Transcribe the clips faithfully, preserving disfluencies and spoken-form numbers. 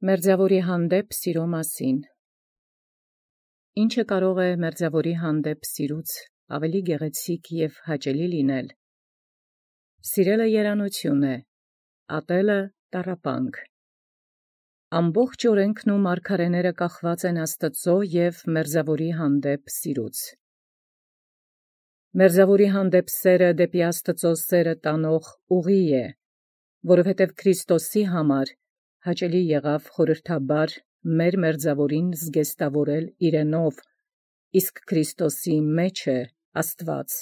Մերձավորի հանդեպ սիրո մասին։ Ինչը կարող է մերձավորի հանդեպ սիրուց ավելի գեղեցիկ և հաճելի լինել։ Սիրելը երանություն է, ատելը տառապանք։ Ամբողջ օրենքն ու մարգարեները կախված են Աստծո և մերձավորի հանդեպ սիրուց։ Մերձավորի հանդեպ սերը դեպի Աստծո սերը տանող ուղի է, որովհետև Քրիստոսի համար հաճելի եղավ խորհրդաբար մեր մերձավորին զգեստավորել իրենով, իսկ Քրիստոսի մեջ է Աստված։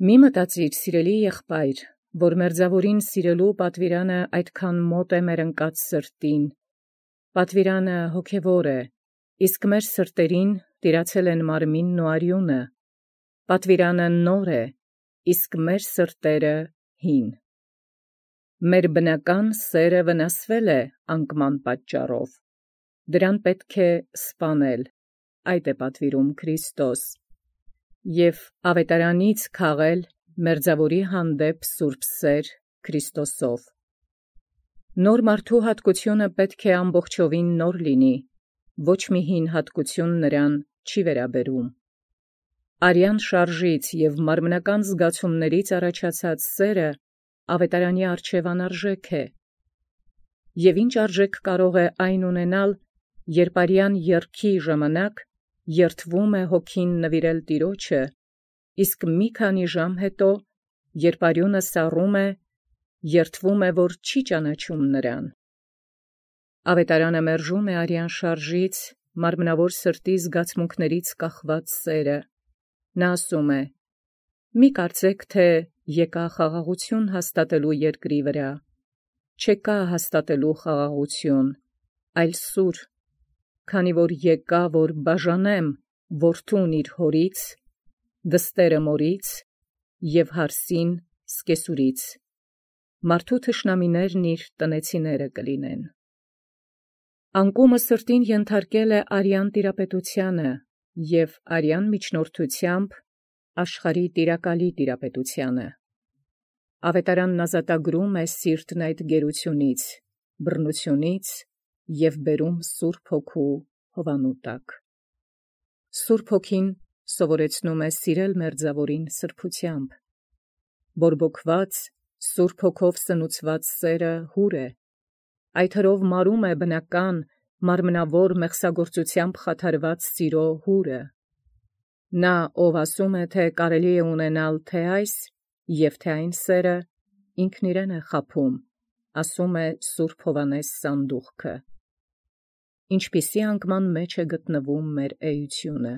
Մի մտածիր, սիրելի եղբայր, որ մերձավորին սիրելու պատվիրանը այդքան մոտ է մեր ընկած սրտին։ Պատվիրանը հոգևոր է, իսկ մեր սրտերին տիրացել են մարմինն ու արյունը։ Պատվիրանը նոր է, իսկ մեր սրտերը հին։ Մեր բնական սերը վնասվել է անկման պատճառով։ Դրան պետք է սպանել, այդ է պատվիրում Քրիստոս, և ավետարանից քաղել մերձավորի հանդեպ սուրբ սեր Քրիստոսով։ Նոր մարդու հատկությունը պետք է ամբողջովին նոր լինի, ոչ մի հին հատկություն նրան չի վերաբերում։ Արյան շարժից և մարմնական զգացումներից առաջացած սերը ավետարանի առջև անարժեք է։ Եվ ինչ արժեք կարող է այն ունենալ, երբ արյան եռքի ժամանակ երդվում է հոգին նվիրել Տիրոջը, իսկ մի քանի ժամ հետո, երբ արյունը սառում է, երդվում է, որ չի ճանաչում նրան։ Ավետարանը մերժում է արյան շարժից, մարմնավոր սրտի զգացմունքներից կախված սերը։ Նա ասում է. «Մի կարծեք, թե եկա խաղաղություն հաստատելու երկրի վրա, չեկա հաստատելու խաղաղություն, այլ սուր, քանի որ եկա, որ բաժանեմ որդուն իր հորից, դստերը մորից և հարսին սկեսուրից, մարդու թշնամիներն իր տնեցիները կլինեն»։ Անկումը սրտին ենթարկել է արյան տիրապետությանը և արյան միջնորդությամբ աշխարհի տիրակալի տիրապետությանը։ Ավետարանն ազատագրում է սիրտն այդ գերությունից, բռնությունից և բերում Սուրբ Հոգու հովանու տակ։ Սուրբ Հոգին սովորեցնում է սիրել մերձավորին սրբությամբ։ Բորբոքված, Սուրբ Հոգով սնուցված սերը հուր է։ Այդ հրով մարում է բնական, մարմնավոր մեղսագործությամբ խաթարված սիրո հուրը։ Նա, ով ասում է, թե կարելի է ունենալ թե այս և թե այն սերը, ինքն իրեն է խաբում, ասում է Սուրբ Հովհաննես սանդուղքը։ Ինչպիսի անկման մեջ է գտնվում մեր էությունը։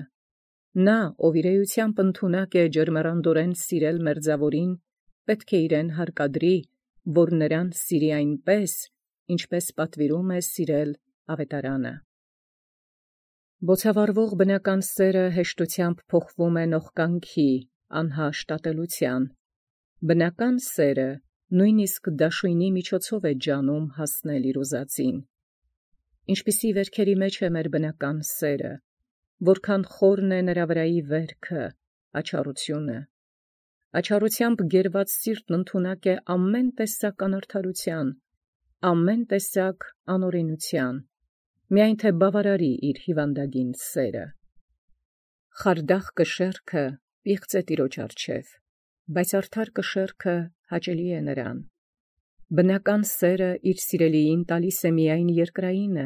Նա, ով իր էությամբ ընդունակ է ջերմեռանդորեն սիրել մերձավորին, պետք է իրեն հարկադրի, որ նրան սիրի այնպես, ինչպես պատվիրում է սիրել ավետարանը։ Բոցավառվող բնական սերը հեշտությամբ փոխվում է նողկանքի, անհաշտ ատելության։ Բնական սերը նույնիսկ դաշույնի միջոցով է ջանում հասնել իր ուզածին։ Ինչպիսի վերքերի մեջ է մեր բնական սերը, որքան խորն է նրա վրայի վերքը, աչառությունը։ Աչառությամբ գերված սիրտն ընդունակ է ամեն տեսակ անարդարության, ամեն տեսակ անօրենության, միայն թե բավարարի իր հիվանդագին սերը։ Խարդախ կշեռքը պիղծ է Տիրոջ առջև, բայց արդար կշեռքը հաճելի է նրան։ Բնական սերը իր սիրելիին տալիս է միայն երկրայինը,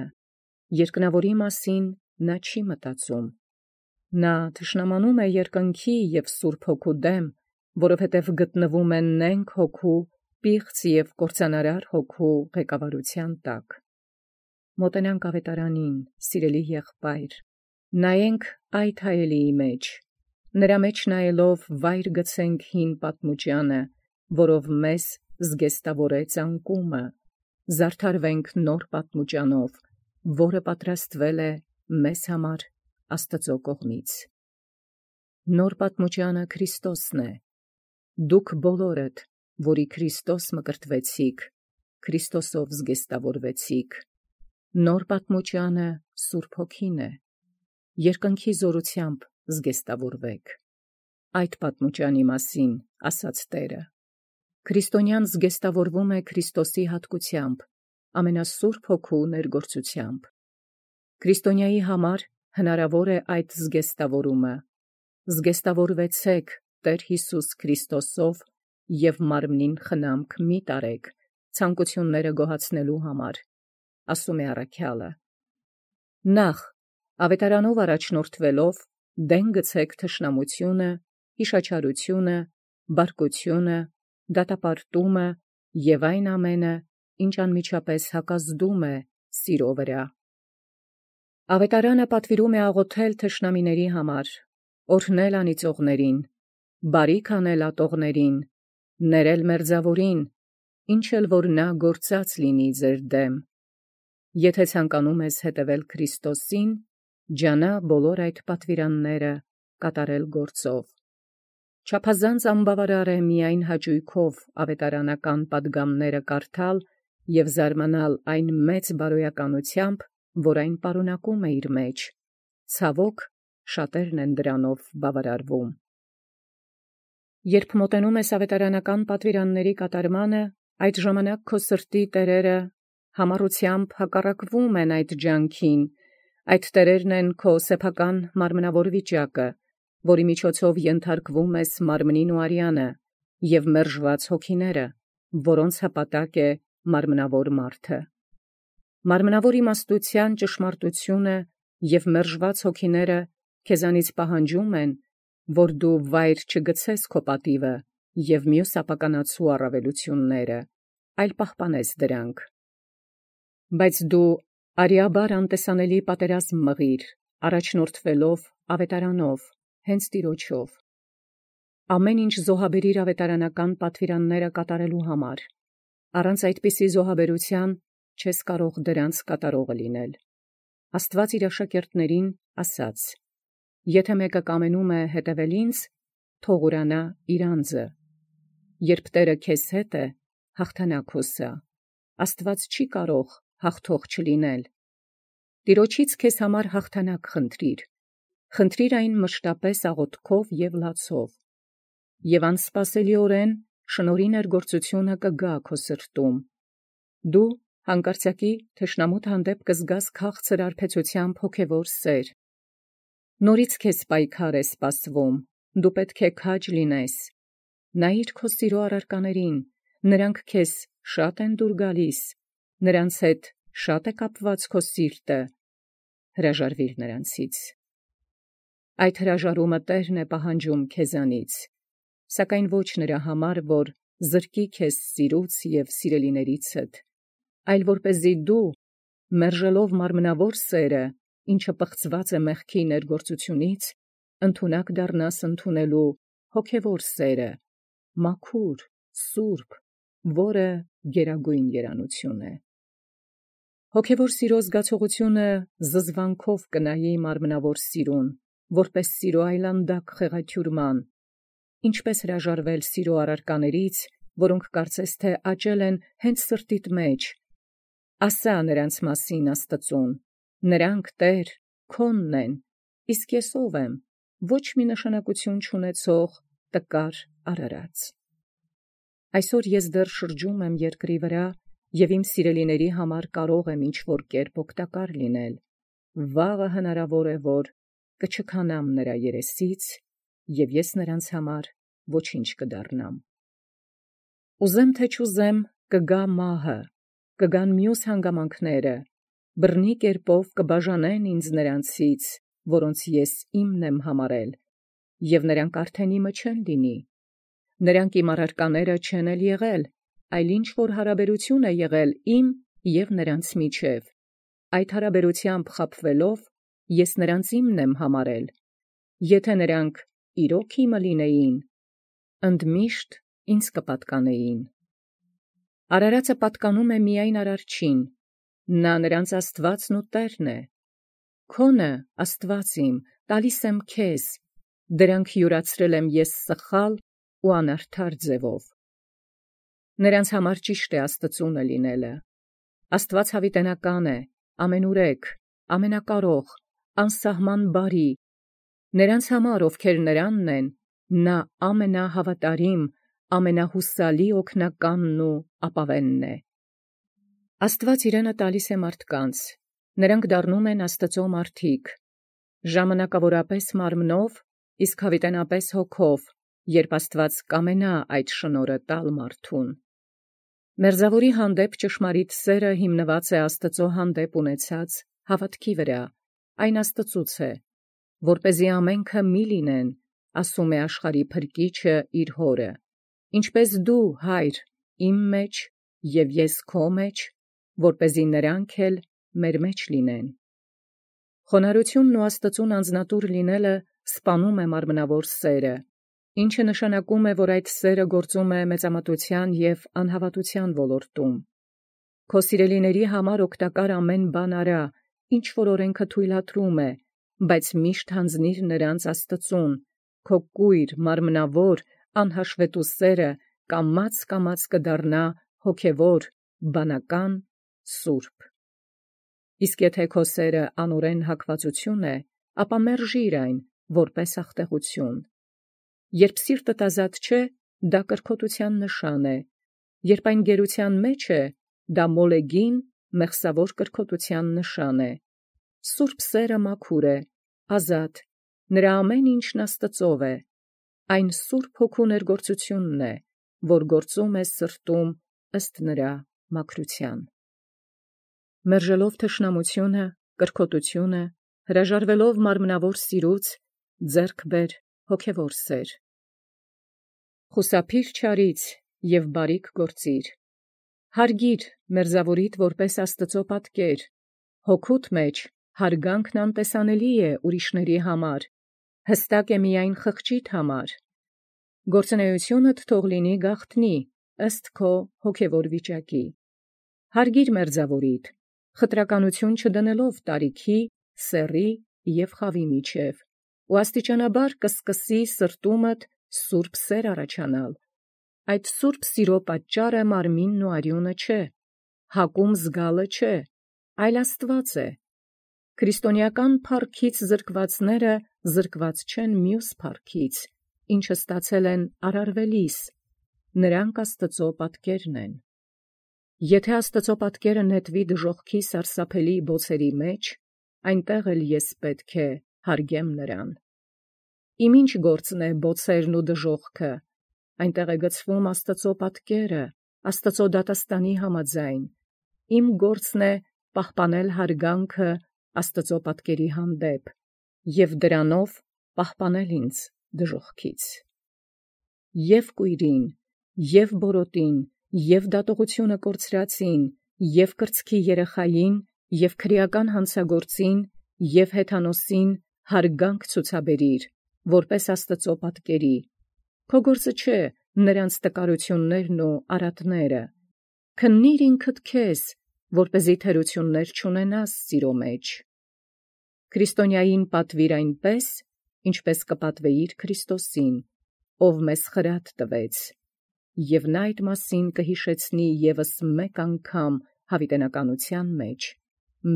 երկնավորի մասին նա չի մտածում։ Նա թշնամանում է երկնքի և Սուրբ Հոգու դեմ, որովհետև գտնվում է նենգ հոգու, պիղծ և կործանարար հոգու ղեկավարության տակ։ Մոտենանք ավետարանին, սիրելի եղբայր, նայենք այդ հայելիի մեջ, նրա մեջ նայելով վայր գցենք հին պատմուճանը, որով մեզ զգեստավորեց անկումը, զարդարվենք նոր պատմուճանով, որը պատրաստվել է մեզ համար Աստծո կողմից։ Նոր պատմուճանը Քրիստոսն է։ Դուք բոլորդ, որի Քրիստոս մկրտվեցիք, Քրիստոսով զգեստավորվեցիք։ Նոր պատմուճանը Սուրբ Հոգին է։ Երկնքի զորությամբ զգեստավորվեք։ Այդ պատմուճանի մասին ասաց Տերը. «Քրիստոնյան զգեստավորվում է Քրիստոսի հատկությամբ, ամենասուրբ հոգու ներգործությամբ։ Քրիստոնյայի համար հնարավոր է այդ զգեստավորումը. զգեստավորվեցեք Տեր Հիսուս Քրիստոսով և մարմնին խնամք մի տարեք ցանկությունները գոհացնելու համար, ասում է առաքյալը։ Նախ, ավետարանով առաջնորդվելով, դեն գցեք թշնամությունը, հիշաչարությունը, բարկությունը, դատապարտումը և այն ամենը, ինչ անմիջապես հակազդում է սիրո վրա։ Ավետարանը պատվիրում է աղոթել թշնամիների համար, օրհնել անիծողներին, բարիք անել ատողներին, ներել մերձավորին, ինչ էլ որ նա գործած լինի ձեր դեմ։ Եթե ցանկանում ես հետևել Քրիստոսին, ջանա բոլոր այդ պատվիրանները կատարել գործով։ Չափազանց անբավարար է միայն հաճույքով ավետարանական պատգամները կարդալ և զարմանալ այն մեծ բարոյականությամբ, որ այն պարունակում է իր մեջ։ Ցավոք, շատերն են դրանով բավարարվում։ Երբ մոտենում ես ավետարանական պատվիրանների կատարմանը, այդ ժամանակ քո սրտի տերերը համառությամբ հակառակվում են այդ ջանքին, այդ տերերն են քո սեփական մարմնավոր վիճակը, որի միջոցով ենթարկվում ես մարմնին ու արյանը, և մերժված հոգիները, որոնց հպատակ է մարմնավոր մարդը։ Մարմնավոր իմաստության ճշմարտությունը և մերժված հոգիները քեզանից պահանջում են, որ դու վայր չգցես քո պատիվը և մյուս ապականացու առավելությունները, այլ պահպանես դրանք։ Բայց դու արիաբար անտեսանելի պատերազմ մղիր, առաջնորդվելով ավետարանով, հենց Տիրոջով։ Ամեն ինչ զոհաբերիր ավետարանական պատվիրանները կատարելու համար։ Առանց այդպիսի զոհաբերության չես կարող դրանց կատարողը լինել։ Աստված իր աշակերտներին ասաց. «Եթե մեկը կամենում է հետևել ինձ, թող ուրանա իր անձը։ Երբ Տերը քեզ հետ է, հաղթանակ հոսա։ Աստված չի կարող հաղթող չլինել։ Տիրոջից քեզ համար հաղթանակ խնդրիր։ Խնդրիր այն մշտապես աղոթքով և լացով։ Եվ անսպասելիորեն շնորհի ներգործությունը կգա քո սրտում։ Դու հանկարծակի թշնամուդ հանդեպ կզգաս քաղցր արբեցությամբ հոգևոր սեր։ Նորից քեզ պայքար է սպասվում, դու պետք է քաջ լինես։ Նայիր քո սիրո առարկաներին, նրանք քեզ շատ են դուր գալիս, նրանց հետ շատ է կապված քո սիրտը։ Հրաժարվիր նրանցից։ Այդ հրաժարումը Տերն է պահանջում քեզանից, սակայն ոչ նրա համար, որ զրկի քեզ սիրուց և սիրելիներիցդ, այլ որպեսզի դու, մերժելով մարմնավոր սերը, ինչը պղծված է մեղքի ներգործությունից, ընդունակ դառնաս ընդունելու հոգևոր սերը, մաքուր, սուրբ, որը գերագույն երանություն է։ Հոգևոր սիրո զգացողությունը զզվանքով կնայի մարմնավոր սիրուն, որպես սիրո այլանդակ խեղաթյուրման, ինչպես հրաժարվել սիրո առարկաներից, որոնք կարծես թե աճել են հենց սրտիդ մեջ։ Ասա նրանց մասին Աստծուն. նրանք, Տեր, քոնն են, իսկ ես ով եմ, ոչ մի նշանակություն չունեցող տկար արարած։ Այսօր ես դեռ շրջում եմ երկրի վրա և իմ սիրելիների համար կարող եմ ինչ-որ կերպ օգտակար լինել։ Վաղը հնարավոր է, որ կչքանամ նրա երեսից, և ես նրանց համար ոչինչ կդառնամ։ Ուզեմ թե չուզեմ, կգա մահը, կգան մյուս հանգամանքները, բռնի կերպով կբաժանեն ինձ նրանցից, որոնց ես իմն եմ համարել, և նրանք արդեն իմը չեն լինի։ Նրանք իմ առարկաները չեն էլ եղել, այլ ինչ-որ հարաբերություն է եղել իմ և նրանց միջև։ Այդ հարաբերությամբ խաբվելով, ես նրանց իմն եմ համարել։ Եթե նրանք իրոք իմը լինեին, ընդմիշտ ինձ կպատկանեին։ Արարածը պատկանում է միայն Արարչին, նա նրանց Աստվածն ու Տերն է։ Քոնը, Աստված իմ, տալիս եմ քեզ, դրանք յուրացրել եմ ես սխալ ու անարդար ձևով։ Նրանց համար ճիշտ է Աստծունը լինելը։ Աստված հավիտենական է, ամենուրեք, ամենակարող, անսահման բարի։ Նրանց համար, ովքեր նրանն են, նա ամենահավատարիմ, ամենահուսալի օգնականն ու ապավենն է։ Աստված իրենը տալիս է մարդկանց, նրանք դառնում են Աստծո մարդիկ, ժամանակավորապես մարմնով, իսկ հավիտենապես հոգով, երբ Աստված կամենա այդ շնորհը տալ մարդուն։ Մերձավորի հանդեպ ճշմարիտ սերը հիմնված է Աստծո հանդեպ ունեցած հավատքի վրա, այն Աստծուց է, որպեսզի ամենքը մի լինեն, ասում է աշխարհի Փրկիչը իր հորը, ինչպես դու, Հայր, իմ մեջ և ես քո մեջ, որպեսզի նրանք էլ մեր մեջ լինեն։ Խոնարհությունն ու Աստծուն անձնատուր լինելը սպանում է մարմնավոր սերը, ինչը նշանակում է, որ այդ սերը գործում է մեծամտության և անհավատության ոլորտում։ Քո սիրելիների համար օգտակար ամեն բան արա, ինչ որ օրենքը թույլատրում է, բայց միշտ հանձնիր նրանց Աստծուն, քո կույր, մարմնավոր, անհաշվետու սերը կամաց-կամաց կդառնա հոգևոր, բանական, սուրբ։ Իսկ եթե քո սերը անօրեն հակվածություն է, ապա մերժիր այն, որպես ախտեղություն։ Երբ սիրտդ ազատ չէ, դա կրքոտության նշան է, երբ այն գերության մեջ է, դա մոլեգին, մեղսավոր կրքոտության նշան է։ Սուրբ սերը մաքուր է, ազատ, նրա ամեն ինչն Աստծով է, այն Սուրբ Հոգու ներգործությունն է, որ գործում է սրտում ըստ նրա մաքրության։ Մերժելով թշնամությունը, կրքոտությունը, հրաժարվելով մարմնավոր սիրուց, ձեռք բեր հոգևոր սեր։ Խուսափիր չարից և բարիք գործիր։ Հարգիր մերձավորիդ որպես Աստծո պատկեր, հոգուդ մեջ հարգանքն անտեսանելի է ուրիշների համար, հստակ է միայն խղճիդ համար։ Գործունեությունդ թող լինի գաղտնի, ըստ քո հոգևոր վիճակի։ Հարգիր մերձավորիդ, խտրականություն չդնելով տարիքի, սեռի և խավի միջև, ու աստիճանաբար կսկսի սրտումդ սուրբ սեր առաջանալ։ Այդ սուրբ սիրո պատճառը մարմինն ու արյունը չէ, հակում զգալը չէ, այլ Աստված է։ Քրիստոնեական փառքից զրկվածները զրկված չեն մյուս փառքից, ինչը ստացել են արարվելիս, նրանք Աստծո պատկերն են։ Եթե Աստծո պատկերը նետվի դժոխքի սարսափելի բոցերի մեջ, այնտեղ էլ ես պետք է հարգեմ նրան։ Իմ ինչ գործն է բոցերն ու դժոխքը, այնտեղ է գցվում Աստծո պատկերը, Աստծո դատաստանի համաձայն, իմ գործն է պահպանել հարգանքը Աստծո պատկերի հանդեպ և դրանով պահպանել ինձ դժոխքից։ Եվ կույրին, և բորոտին, և դատողությունը կորցրածին, և կրծքի երեխային, և քրեական հանցագործին, և հեթանոսին հարգանք ցուցաբերիր, որպես Աստծո պատկերի։ Քո գործը չէ նրանց տկարություններն ու արատները։ Քննիր ինքդ քեզ, որպեսզի թերություններ չունենաս սիրո մեջ։ Քրիստոնյային պատվիր այնպես, ինչպես կպատվեիր Քրիստոսին, ով մեզ խրատ տվեց, և նա այդ մասին կհիշեցնի ևս մեկ անգամ հավիտենականության մեջ,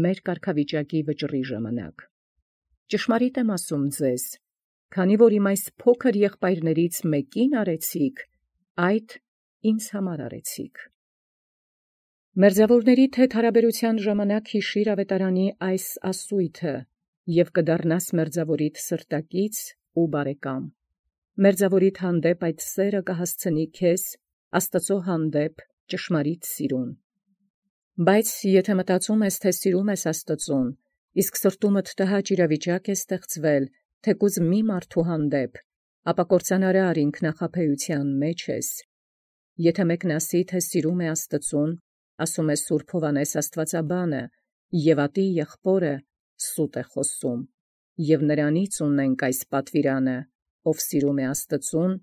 մեր կարգավիճակի վճռի ժամանակ։ Ճշմարիտ եմ ասում ձեզ, քանի որ իմ այս փոքր եղբայրներից մեկին արեցիք, այդ ինձ համար արեցիք։ Մերձավորներիդ հետ հարաբերության ժամանակ հիշիր ավետարանի այս ասույթը և կդառնաս մերձավորիդ սրտակից ու բարեկամ։ Մերձավորիդ հանդեպ այդ սերը կհասցնի քեզ Աստծո հանդեպ ճշմարիտ սիրուն։ Բայց եթե մտածում ես, թե սիրում ես Աստծուն, իսկ սրտումդ տհաճ իրավիճակ է ստեղծվել, թեկուզ մի մարդու հանդեպ, ապա կործանարար ինքնախաբեության մեջ ես։ Եթե մեկն ասի, թե սիրում է Աստծուն, ասում է Սուրբ Հովհաննես Աստվածաբանը, և ատի եղբորը սուտ է խոսում, և նրանից ունենք այս պատվիրանը, ով սիրում է Աստծուն,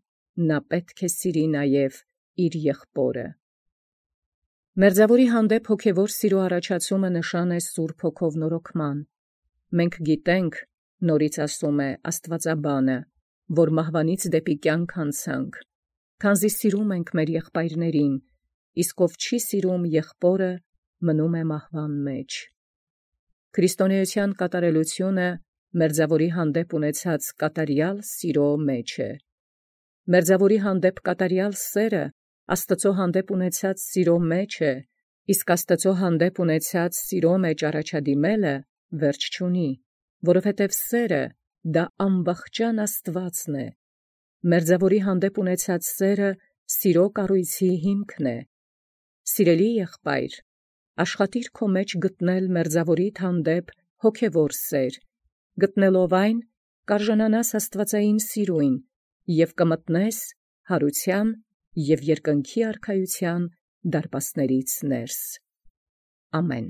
նա պետք է սիրի նաև իր եղբորը։ Մերձավորի հանդեպ հոգևոր սիրո առաջացումը նշան է Սուրբ Հոգով նորոգման։ Մենք գիտենք, նորից ասում է Աստվածաբանը, որ մահվանից դեպի կյանք անցանք, քանզի սիրում ենք մեր եղբայրներին, իսկ ով չի սիրում եղբորը, մնում է մահվան մեջ։ Քրիստոնեության կատարելությունը մերձավորի հանդեպ ունեցած կատարյալ սիրո մեջ է։ Մերձավորի հանդեպ կատարյալ սերը Աստծո հանդեպ ունեցած սիրո մեջ է, Իսկ Աստուծոյ հանդեպ ունեցած սիրո մեջ առաջադիմելը վերջ չունի, որովհետև սերը դա ամբախճան Աստուածն է։ Մերձաւորի հանդեպ ունեցած սերը սիրո կառույցի հիմքն է։ Սիրելի եղբայր, աշխատիր քո մեջ գտնել մերձաւորիդ հանդեպ հոգևոր սեր, գտնելով այն կարժանանաս աստուածային սիրոյն և կմտնես յարութեան և երկնքի արքայութեան դարպասներից ներս։ Ամեն։